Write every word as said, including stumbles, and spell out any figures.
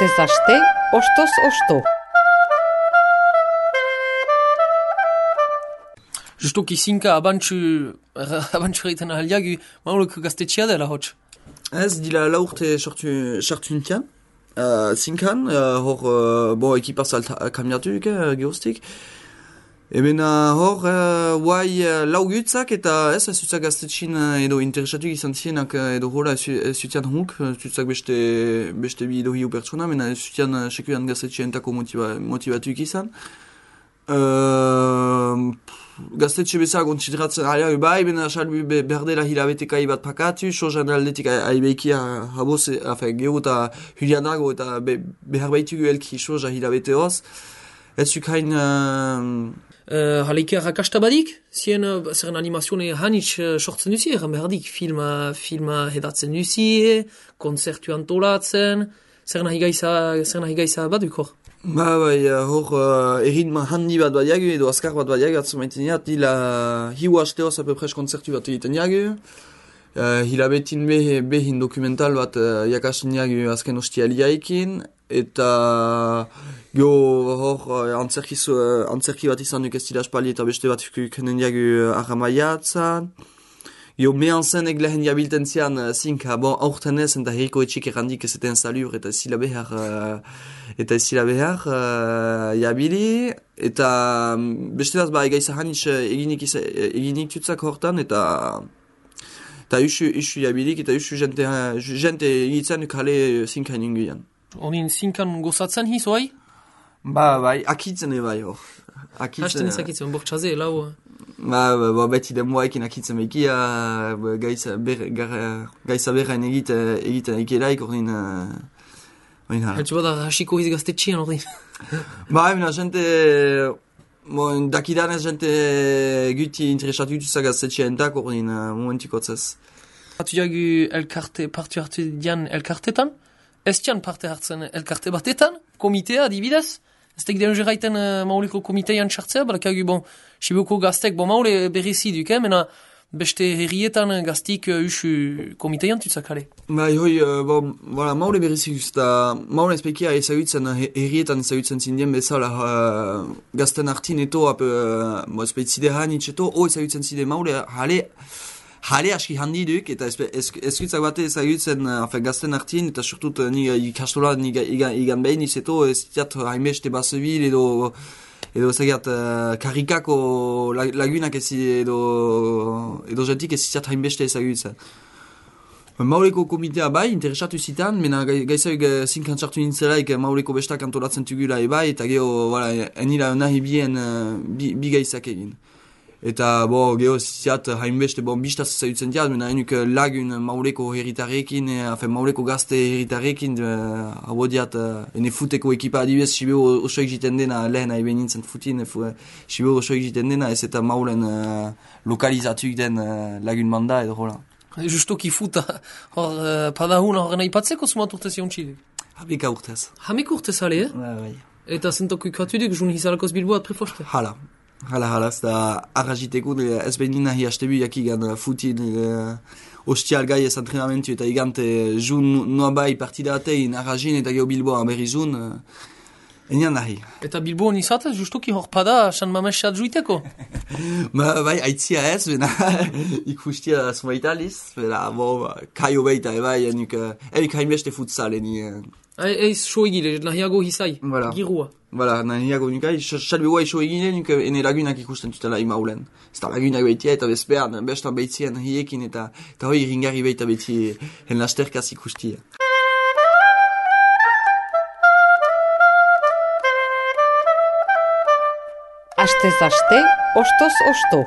Astez aste, ostoz osto. Justoki zinka abantxu, abantxu egiten ahaliagu, mauleko gaztetxea dela hotx. Ez, dila laurte sartu nintian. Uh, zinkan, uh, hor, uh, bo, ekipaz kamiatu duke, uh, geostik. Eben uh, hor, uh, guai uh, lau gutzak eta ez, ez zutzak gaztetxin uh, edo interesatu izan zienak uh, edo hola ez zutian huk, zutzak beste, beste bi edo hiu pertsona, mena ez zutian uh, sekuan gaztetxientako motiva, motivatuik izan. Uh, gaztetxe bezak ontzitratzen alea bai, bena salbi be, berdela hilabetekai bat pakatu, sozan aldetik aibeikia haboz, afe, geho eta hulianago eta be, behar baitugu elki soza hilabete hoz. Ez zukain... Uh, Uh, Haleike rakasta badik, zien uh, zeren animazione hanitz uh, sortzen duzi, egan behardik, filma, filma hedatzen duzi, konzertu antolatzen, zer nahi gaiza, zer nahi gaiza baduk hor? Ba, bai, hor, uh, erritma handi bat bat jagu, edo azkar bat bat jagu, atzu maiten jat, dila hiu haste hoz apepres konzertu bat egiten jagu, uh, hilabetin be, behin dokumental bat uh, jakasten jagu azken hostialiaikin, eta go hor antzerki, uh, antzerki bat izan duk ez dira espali eta beste bat kenen jagu aramaiatzan. Jo mehan zen eglehen jabilten zian uh, zinka, bon, aurten ez eta herriko etxik errandik ez eten salur eta ez zila behar, uh, eta ez zila behar uh, jabili, eta um, beste bat ba egaiza hanitz eginik, eginik tutzak hortan eta eta usu, usu jabilik eta usu jente, jente egitzen kale zinka ninguian. Honin zinkan gozatzen hiz, oai? Ba, bai, akitzen bai hor. Hasten ezakitzen, bortxaze, lau. Ba, ba, ba, beti demoaekin akitzen behikia, gaiza berrain egiten egiten ekelaik, ordin... ordin hala. Haltsu bada hasiko hiz gaztetxian, ordin. Ba, emina, jente... Bon, dakidanez jente guti interesatu dutuzak gaztetxientak, ordin momentukotzez. Hatu jagu elkarte, partu hartu dian elkartetan? Ez dian parte hartzen elkarte batetan, komitea, adibidez. Ez tek den jeraiten uh, mauleko komitean txartzea, balakagu, bon, Siboko gaztek, bon, maule berrizi duk, eh, mena beste herrietan gaztik uh, usu komitean tutzak ale. Ba, hoi, uh, bon, voilà, maule berrizi guz, eta maule ezpekia ezagutzen herrietan ezagutzen zindien bezala uh, gazten hartin eto, ap, uh, bo, ezpeitzide hanitz eto, o ezagutzen zide maule, hale, Hale aski handi duk, eta ezkutzak bate ezagutzen uh, gazten hartin, eta surtut uh, ni ikastola ni igan, igan behin izeto, ez ziat hainbeste basebil edo edo ezagat uh, karikako lagunak ez edo edo jentik ez ziat hainbeste ezagutzen. Mauleko komitea bai, interesatu zitan, mena gaizauk uh, zinkan txartu nintzelaik mauleko bestak antolatzen tugula ebai, eta geho, voilà, enila nahi bien uh, bi, bi gaizak egin. Eta, bo, geho, ziat, hainbeste, bon, bistaz ezagutzen diat, mena enuk lagun mauleko herritarekin, eh, mauleko gazte herritarekin, eh, habo diat, eh, ene futeko ekipa adibez, Sibeo osoik jiten dena, lehen aibe nintzen futin, Sibeo osoik jiten dena, ez eta maulen uh, lokalizatuk den uh, lagun manda, edo hola. Justoki futa, hor, uh, padahun horren aipatzeko sumat urtez jontxidek? Habeka urtez. Hamek urtez ale, eh? Ba, bai. Eta zentoko ikatudek, jun hizalakoz bilboat prefoste? Hala. Hala, hala, ez da arrazitekun, ez behin nina hi hastebu jakigan futin uh, ostial gai ez antrenamentu eta igante jun noa bai partida atein arrazin eta geho Bilboa berri jun, uh, enian nahi. Eta Bilboan izatez, justoki hor pada San Mamesat juiteko? Ba, bai, aitzia ez, bena ikustia zumaitaliz, bena, bo, kaio beita, bai, enuk, enik hainbeste futsal, eni... Uh, Eiz so egile, nahiago hizai, voilà. Girua. Voilà, nahiago nukai, salbe guai so egile, nuk ene lagunak ikusten tutela imaulen. Zta lagunak beitia eta bezpean, bestan beitzien hiekin eta eta hoi ringarri beita beiti en lasterkaz ikustia. Astez aste, ostoz osto.